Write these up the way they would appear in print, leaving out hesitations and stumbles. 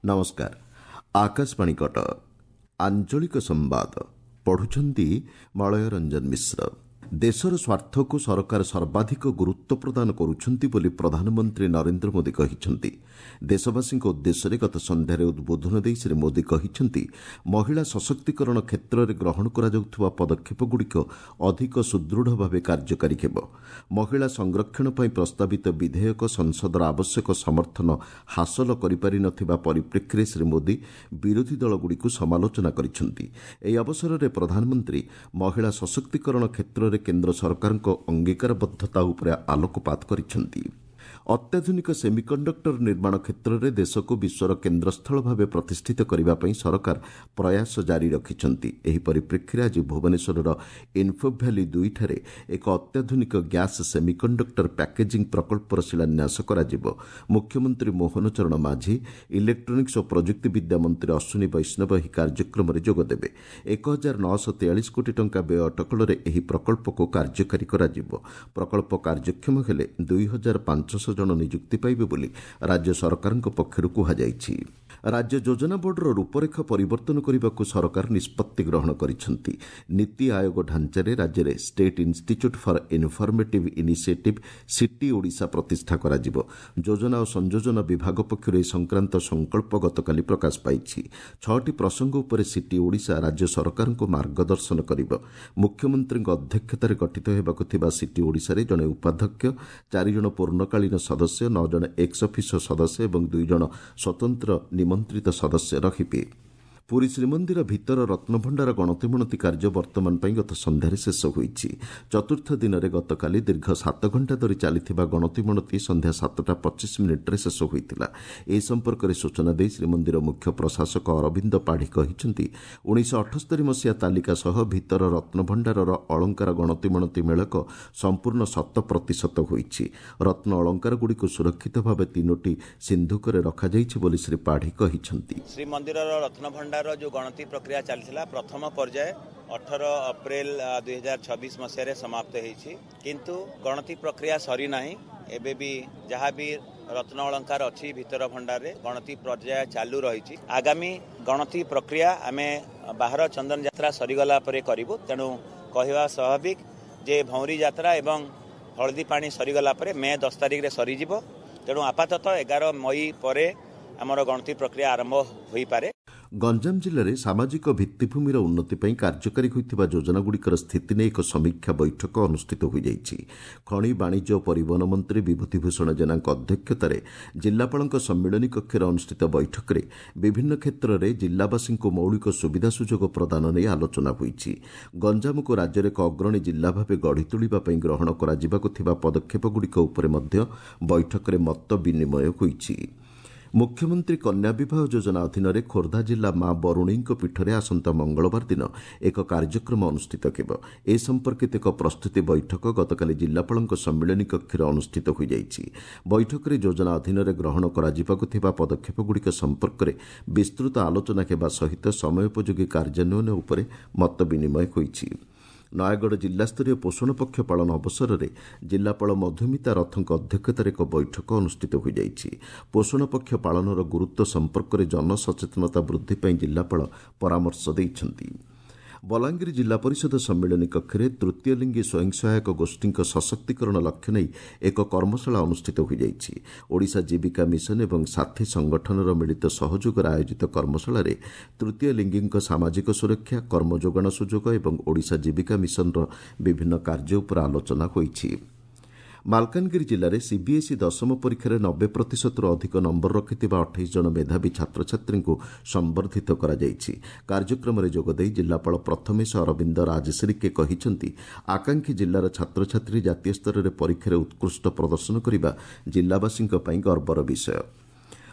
ନମସ୍କାର, ଆକାଶବାଣୀ କଟକ। ଆଞ୍ଚଳିକ ସମ୍ବାଦ ପଢୁଛନ୍ତି ମଳୟ ରଞ୍ଜନ ମିଶ୍ର। ଦେଶର ସ୍ୱାର୍ଥକୁ ସରକାର ସର୍ବାଧିକ ଗୁରୁତ୍ୱ ପ୍ରଦାନ କରୁଛନ୍ତି ବୋଲି ପ୍ରଧାନମନ୍ତ୍ରୀ ନରେନ୍ଦ୍ର ମୋଦି କହିଛନ୍ତି। ଦେଶବାସୀଙ୍କ ଉଦ୍ଦେଶ୍ୟରେ ଗତ ସନ୍ଧ୍ୟାରେ ଉଦ୍ବୋଧନ ଦେଇ ଶ୍ରୀ ମୋଦି କହିଛନ୍ତି, ମହିଳା ସଶକ୍ତିକରଣ କ୍ଷେତ୍ରରେ ଗ୍ରହଣ କରାଯାଉଥିବା ପଦକ୍ଷେପଗୁଡ଼ିକ ଅଧିକ ସୁଦୃଢ଼ ଭାବେ କାର୍ଯ୍ୟକାରୀ ହେବ। ମହିଳା ସଂରକ୍ଷଣ ପାଇଁ ପ୍ରସ୍ତାବିତ ବିଧେୟକ ସଂସଦର ଆବଶ୍ୟକ ସମର୍ଥନ ହାସଲ କରିପାରି ନ ଥିବା ପରିପ୍ରେକ୍ଷୀରେ ଶ୍ରୀ ମୋଦି ବିରୋଧୀ ଦଳଗୁଡ଼ିକୁ ସମାଲୋଚନା କରିଛନ୍ତି। ଏହି ଅବସରରେ ପ୍ରଧାନମନ୍ତ୍ରୀ ମହିଳା ସଶକ୍ତିକରଣ କ୍ଷେତ୍ରରେ କେନ୍ଦ୍ର ସରକାରଙ୍କ ଅଙ୍ଗୀକାରବଦ୍ଧତା ଉପରେ ଆଲୋକପାତ କରିଛନ୍ତି। ଅତ୍ୟାଧୁନିକ ସେମିକଣ୍ଡକ୍ଟର ନିର୍ମାଣ କ୍ଷେତ୍ରରେ ଦେଶକୁ ବିଶ୍ୱର କେନ୍ଦ୍ରସ୍ଥଳ ଭାବେ ପ୍ରତିଷ୍ଠିତ କରିବା ପାଇଁ ସରକାର ପ୍ରୟାସ ଜାରି ରଖିଛନ୍ତି। ଏହି ପରିପ୍ରେକ୍ଷୀରେ ଆଜି ଭୁବନେଶ୍ୱରର ଇନ୍ଫୋଭ୍ୟାଲି 2ଠାରେ ଏକ ଅତ୍ୟାଧୁନିକ ଗ୍ୟାସ୍ ସେମିକଣ୍ଡକ୍ଟର ପ୍ୟାକେଜିଂ ପ୍ରକଳ୍ପର ଶିଳାନ୍ୟାସ କରାଯିବ। ମୁଖ୍ୟମନ୍ତ୍ରୀ ମୋହନ ଚରଣ ମାଝୀ, ଇଲେକ୍ଟ୍ରୋନିକ୍ସ ଓ ପ୍ରଯୁକ୍ତିବିଦ୍ୟା ମନ୍ତ୍ରୀ ଅଶ୍ୱିନୀ ବୈଷ୍ଣବ ଏହି କାର୍ଯ୍ୟକ୍ରମରେ ଯୋଗଦେବେ। 1943 କୋଟି ଟଙ୍କା ବ୍ୟୟ ଅଟକଳରେ ଏହି ପ୍ରକଳ୍ପକୁ କାର୍ଯ୍ୟକାରୀ କରାଯିବ। ପ୍ରକଳ୍ପ କାର୍ଯ୍ୟକ୍ଷମ ହେଲେ 2500 ଜଣ ନିଯୁକ୍ତି ପାଇବେ ବୋଲି ରାଜ୍ୟ ସରକାରଙ୍କ ପକ୍ଷରୁ କୁହାଯାଇଛି। ରାଜ୍ୟ ଯୋଜନା ବୋର୍ଡର ରୂପରେଖ ପରିବର୍ତ୍ତନ କରିବାକୁ ସରକାର ନିଷ୍ପତ୍ତି ଗ୍ରହଣ କରିଛନ୍ତି। ନୀତି ଆୟୋଗ ଢାଞ୍ଚାରେ ରାଜ୍ୟରେ state institute for informative initiative city Odisha ପ୍ରତିଷ୍ଠା କରାଯିବ। ଯୋଜନା ଓ ସଂଯୋଜନା ବିଭାଗ ପକ୍ଷରୁ ଏ ସଂକ୍ରାନ୍ତ ସଂକଳ୍ପ ଗତକାଲି ପ୍ରକାଶ ପାଇଛି। 6ଟି ପ୍ରସଙ୍ଗ ଉପରେ ସିଟି ଓଡ଼ିଶା ରାଜ୍ୟ ସରକାରଙ୍କୁ ମାର୍ଗଦର୍ଶନ କରିବ। ମୁଖ୍ୟମନ୍ତ୍ରୀଙ୍କ ଅଧ୍ୟକ୍ଷତାରେ ଗଠିତ ହେବାକୁ ଥିବା ସିଟି ଓଡ଼ିଶାରେ ଜଣେ ଉପାଧ୍ୟକ୍ଷ, 4 ଜଣ ପୂର୍ଣ୍ଣକାଳୀନ ସଦସ୍ୟ, 9 ଜଣ ଏକ୍ସ ଅଫିସୋ ସଦସ୍ୟ ଏବଂ 2 ଜଣ ସ୍ୱତନ୍ତ୍ର ନିମନ୍ତ୍ରିତ ସଦସ୍ୟ ରହିବେ। ପୁରୀ ଶ୍ରୀମନ୍ଦିର ଭିତର ରତ୍ନଭଣ୍ଡାର ଗଣତିମଣତି କାର୍ଯ୍ୟ ବର୍ତ୍ତମାନ ପାଇଁ ଗତ ସନ୍ଧ୍ୟାରେ ଶେଷ ହୋଇଛି। ଚତୁର୍ଥ ଦିନରେ ଗତକାଲି ଦୀର୍ଘ 7 ଘଣ୍ଟା ଧରି ଚାଲିଥିବା ଗଣତିମଣତି ସନ୍ଧ୍ୟା 7:25 ଶେଷ ହୋଇଥିଲା। ଏ ସମ୍ପର୍କରେ ସୂଚନା ଦେଇ ଶ୍ରୀମନ୍ଦିର ମୁଖ୍ୟ ପ୍ରଶାସକ ଅରବିନ୍ଦ ପାଢ଼ୀ କହିଛନ୍ତି, 1978 ମସିହା ତାଲିକା ସହ ଭିତର ରତ୍ନଭଣ୍ଡାରର ଅଳଙ୍କାର ଗଣତିମଣତି ମେଳକ ସମ୍ପୂର୍ଣ୍ଣ 100% ହୋଇଛି। ରତ୍ନ ଅଳଙ୍କାରଗୁଡ଼ିକୁ ସୁରକ୍ଷିତ ଭାବେ 3ଟି ସିନ୍ଧୁକରେ ରଖାଯାଇଛି ବୋଲି ଶ୍ରୀ ପାଢ଼ୀ କହିଛନ୍ତି। ଶ୍ରୀମନ୍ଦିରର ରତ୍ନଭଣ୍ଡାର ଯେଉଁ ଗଣତି ପ୍ରକ୍ରିୟା ଚାଲିଥିଲା, ପ୍ରଥମ ପର୍ଯ୍ୟାୟ 18 ଅପ୍ରିଲ 2026 ମସିହାରେ ସମାପ୍ତ ହେଇଛି। କିନ୍ତୁ ଗଣତି ପ୍ରକ୍ରିୟା ସରିନାହିଁ। ଏବେ ବି ଯାହା ବି ରତ୍ନ ଅଳଙ୍କାର ଅଛି ଭିତର ଭଣ୍ଡାରରେ ଗଣତି ପର୍ଯ୍ୟାୟ ଚାଲୁ ରହିଛି। ଆଗାମୀ ଗଣତି ପ୍ରକ୍ରିୟା ଆମେ ବାହାର ଚନ୍ଦନ ଯାତ୍ରା ସରିଗଲା ପରେ କରିବୁ। ତେଣୁ କହିବା ସ୍ୱାଭାବିକ ଯେ ଭଉଁରୀ ଯାତ୍ରା ଏବଂ ହଳଦୀ ପାଣି ସରିଗଲା ପରେ ମେ 10 ତାରିଖରେ ସରିଯିବ। ତେଣୁ ଆପାତତଃ 11 ମଇ ପରେ ଆମର ଗଣତି ପ୍ରକ୍ରିୟା ଆରମ୍ଭ ହୋଇପାରେ। ଗଞ୍ଜାମ ଜିଲ୍ଲାରେ ସାମାଜିକ ଭିତ୍ତିଭୂମିର ଉନ୍ନତି ପାଇଁ କାର୍ଯ୍ୟକାରୀ ହୋଇଥିବା ଯୋଜନାଗୁଡ଼ିକର ସ୍ଥିତି ନେଇ ଏକ ସମୀକ୍ଷା ବୈଠକ ଅନୁଷ୍ଠିତ ହୋଇଯାଇଛି। ଖଣି, ବାଣିଜ୍ୟ ଓ ପରିବହନ ମନ୍ତ୍ରୀ ବିଭୂତି ଭୂଷଣ ଜେନାଙ୍କ ଅଧ୍ୟକ୍ଷତାରେ ଜିଲ୍ଲାପାଳଙ୍କ ସମ୍ମିଳନୀ କକ୍ଷରେ ଅନୁଷ୍ଠିତ ବୈଠକରେ ବିଭିନ୍ନ କ୍ଷେତ୍ରରେ ଜିଲ୍ଲାବାସୀଙ୍କୁ ମୌଳିକ ସୁବିଧା ସୁଯୋଗ ପ୍ରଦାନ ନେଇ ଆଲୋଚନା ହୋଇଛି। ଗଞ୍ଜାମକୁ ରାଜ୍ୟରେ ଏକ ଅଗ୍ରଣୀ ଜିଲ୍ଲା ଭାବେ ଗଢ଼ି ତୋଳିବା ପାଇଁ ଗ୍ରହଣ କରାଯିବାକୁ ଥିବା ପଦକ୍ଷେପଗୁଡ଼ିକ ଉପରେ ମଧ୍ୟ ବୈଠକରେ ମତ ବିନିମୟ ହୋଇଛି। ମୁଖ୍ୟମନ୍ତ୍ରୀ କନ୍ୟା ବିବାହ ଯୋଜନା ଅଧୀନରେ ଖୋର୍ଦ୍ଧା ଜିଲ୍ଲା ମା ବରୁଣେଇଙ୍କ ପୀଠରେ ଆସନ୍ତା ମଙ୍ଗଳବାର ଦିନ ଏକ କାର୍ଯ୍ୟକ୍ରମ ଅନୁଷ୍ଠିତ ହେବ। ଏ ସମ୍ପର୍କିତ ଏକ ପ୍ରସ୍ତୁତି ବୈଠକ ଗତକାଲି ଜିଲ୍ଲାପାଳଙ୍କ ସମ୍ମିଳନୀ କକ୍ଷରେ ଅନୁଷ୍ଠିତ ହୋଇଯାଇଛି। ବୈଠକରେ ଯୋଜନା ଅଧୀନରେ ଗ୍ରହଣ କରାଯିବାକୁ ଥିବା ପଦକ୍ଷେପଗୁଡ଼ିକ ସମ୍ପର୍କରେ ବିସ୍ତୃତ ଆଲୋଚନା ହେବା ସହିତ ସମୟୋପଯୋଗୀ କାର୍ଯ୍ୟାନ୍ୱୟନ ଉପରେ ମତ ବିନିମୟ ହୋଇଛି। ନୟାଗଡ଼ ଜିଲ୍ଲାସ୍ତରୀୟ ପୋଷଣ ପକ୍ଷ ପାଳନ ଅବସରରେ ଜିଲ୍ଲାପାଳ ମଧୁମିତା ରଥଙ୍କ ଅଧ୍ୟକ୍ଷତାରେ ଏକ ବୈଠକ ଅନୁଷ୍ଠିତ ହୋଇଯାଇଛି। ପୋଷଣ ପକ୍ଷ ପାଳନର ଗୁରୁତ୍ୱ ସମ୍ପର୍କରେ ଜନସଚେତନତା ବୃଦ୍ଧି ପାଇଁ ଜିଲ୍ଲାପାଳ ପରାମର୍ଶ ଦେଇଛନ୍ତି। ବଲାଙ୍ଗୀର ଜିଲ୍ଲା ପରିଷଦ ସମ୍ମିଳନୀ କକ୍ଷରେ ତୃତୀୟ ଲିଙ୍ଗୀ ସ୍ୱୟଂ ସହାୟକ ଗୋଷ୍ଠୀଙ୍କ ସଶକ୍ତିକରଣ ଲକ୍ଷ୍ୟ ନେଇ ଏକ କର୍ମଶାଳା ଅନୁଷ୍ଠିତ ହୋଇଯାଇଛି। ଓଡ଼ିଶା ଜୀବିକା ମିଶନ ଏବଂ ସାଥୀ ସଂଗଠନର ମିଳିତ ସହଯୋଗରେ ଆୟୋଜିତ କର୍ମଶାଳାରେ ତୃତୀୟ ଲିଙ୍ଗୀଙ୍କ ସାମାଜିକ ସୁରକ୍ଷା, କର୍ମଯୋଗାଣ ସୁଯୋଗ ଏବଂ ଓଡ଼ିଶା ଜୀବିକା ମିଶନର ବିଭିନ୍ନ କାର୍ଯ୍ୟ ଉପରେ ଆଲୋଚନା ହୋଇଛି। ମାଲକାନଗିରି ଜିଲ୍ଲାରେ ସିବିଏସ୍ଇ ଦଶମ ପରୀକ୍ଷାରେ 90%ରୁ ଅଧିକ ନମ୍ବର ରଖିଥିବା 28 ଜଣ ମେଧାବୀ ଛାତ୍ରଛାତ୍ରୀଙ୍କୁ ସମ୍ବର୍ଦ୍ଧିତ କରାଯାଇଛି। କାର୍ଯ୍ୟକ୍ରମରେ ଯୋଗଦେଇ ଜିଲ୍ଲାପାଳ ପ୍ରଥମେଶ ଅରବିନ୍ଦ ରାଜଶ୍ରୀକେ କହିଛନ୍ତି, ଆକାଂକ୍ଷୀ ଜିଲ୍ଲାର ଛାତ୍ରଛାତ୍ରୀ ଜାତୀୟ ସ୍ତରରେ ପରୀକ୍ଷାରେ ଉତ୍କୃଷ୍ଟ ପ୍ରଦର୍ଶନ କରିବା ଜିଲ୍ଲାବାସୀଙ୍କ ପାଇଁ ଗର୍ବର ବିଷୟ।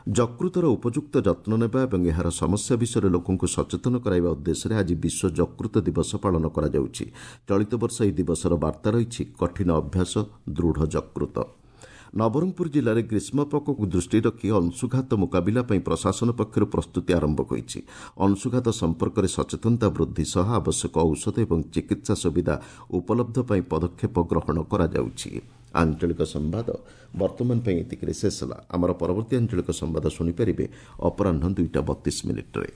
ଯକୃତର ଉପଯୁକ୍ତ ଯତ୍ନ ନେବା ଏବଂ ଏହାର ସମସ୍ୟା ବିଷୟରେ ଲୋକଙ୍କୁ ସଚେତନ କରାଇବା ଉଦ୍ଦେଶ୍ୟରେ ଆଜି ବିଶ୍ୱ ଯକୃତ ଦିବସ ପାଳନ କରାଯାଉଛି। ଚଳିତ ବର୍ଷ ଏହି ଦିବସର ବାର୍ତ୍ତା ରହିଛି କଠିନ ଅଭ୍ୟାସ, ଦୃଢ଼ ଯକୃତ। ନବରଙ୍ଗପୁର ଜିଲ୍ଲାରେ ଗ୍ରୀଷ୍ମ ପ୍ରକୋପକୁ ଦୃଷ୍ଟିରେ ରଖି ଅଂଶୁଘାତ ମୁକାବିଲା ପାଇଁ ପ୍ରଶାସନ ପକ୍ଷରୁ ପ୍ରସ୍ତୁତି ଆରମ୍ଭ ହୋଇଛି। ଅଂଶୁଘାତ ସମ୍ପର୍କରେ ସଚେତନତା ବୃଦ୍ଧି ସହ ଆବଶ୍ୟକ ଔଷଧ ଏବଂ ଚିକିତ୍ସା ସୁବିଧା ଉପଲବ୍ଧ ପାଇଁ ପଦକ୍ଷେପ ଗ୍ରହଣ କରାଯାଉଛି। ଆଞ୍ଚଳିକ ସମ୍ବାଦ ବର୍ତ୍ତମାନ ପାଇଁ ଏତିକିରେ ଶେଷ ହେଲା। ଆମର ପରବର୍ତ୍ତୀ ଆଞ୍ଚଳିକ ସମ୍ବାଦ ଶୁଣିପାରିବେ ଅପରାହ୍ନ 2ଟା 32 ମିନିଟ୍ରେ।